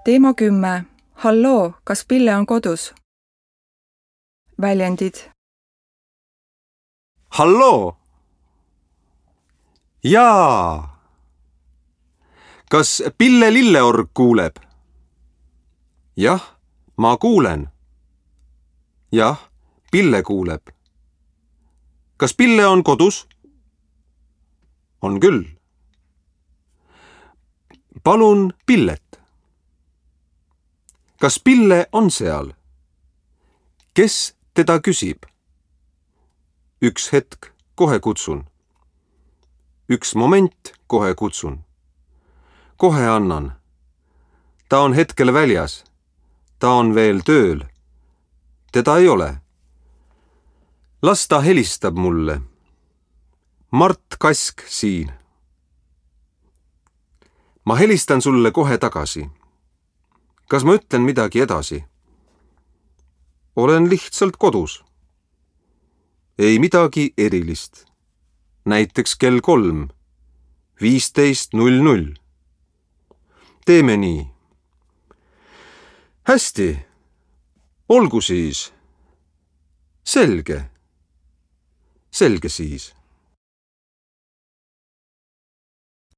Teema 10. Halloo, kas Pille on kodus? Väljendid. Halloo! Jaa! Kas Pille Lilleorg kuuleb? Jah, ma kuulen. Jah, Pille kuuleb. Kas Pille on kodus? On küll. Palun Pillet. Kas Pille on seal? Kes teda küsib? Üks hetk, kohe kutsun. Üks moment, kohe kutsun. Kohe annan. Ta on hetkel väljas. Ta on veel tööl. Teda ei ole. Las ta helistab mulle. Mart Kask siin. Ma helistan sulle kohe tagasi. Kas ma ütlen midagi edasi? Olen lihtsalt kodus. Ei midagi erilist. Näiteks kell 3:15:00. Teeme nii. Hästi. Olgu siis. Selge. Selge siis.